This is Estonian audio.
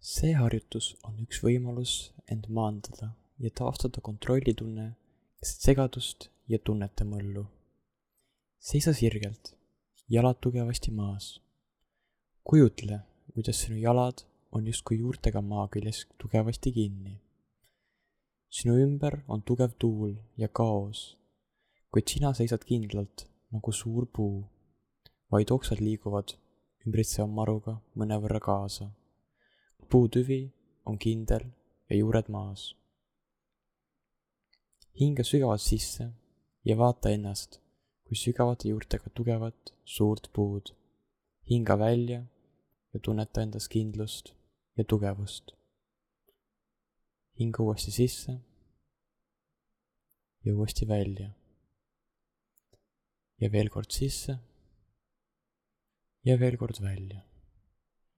See harjutus on üks võimalus end maandada ja taastada kontrollitunne, segadust ja tunnete möllu. Seisa sirgelt, jalad tugevasti maas. Kujutle, kuidas sinu jalad on justkui juurtega maa küljes tugevasti kinni. Sinu ümber on tugev tuul ja kaos, kuid sina seisad kindlalt nagu suur puu, vaid oksad liiguvad ümbritseva maruga mõnevõrra kaasa. Puutüvi on kindel ja juured maas. Hinga sügavalt sisse ja vaata ennast kui sügavate juurtega tugevat suurt puud. Hinga välja ja tunneta endas kindlust ja tugevust. Hinga uuesti sisse ja uuesti välja. Ja veel kord sisse ja veel kord välja.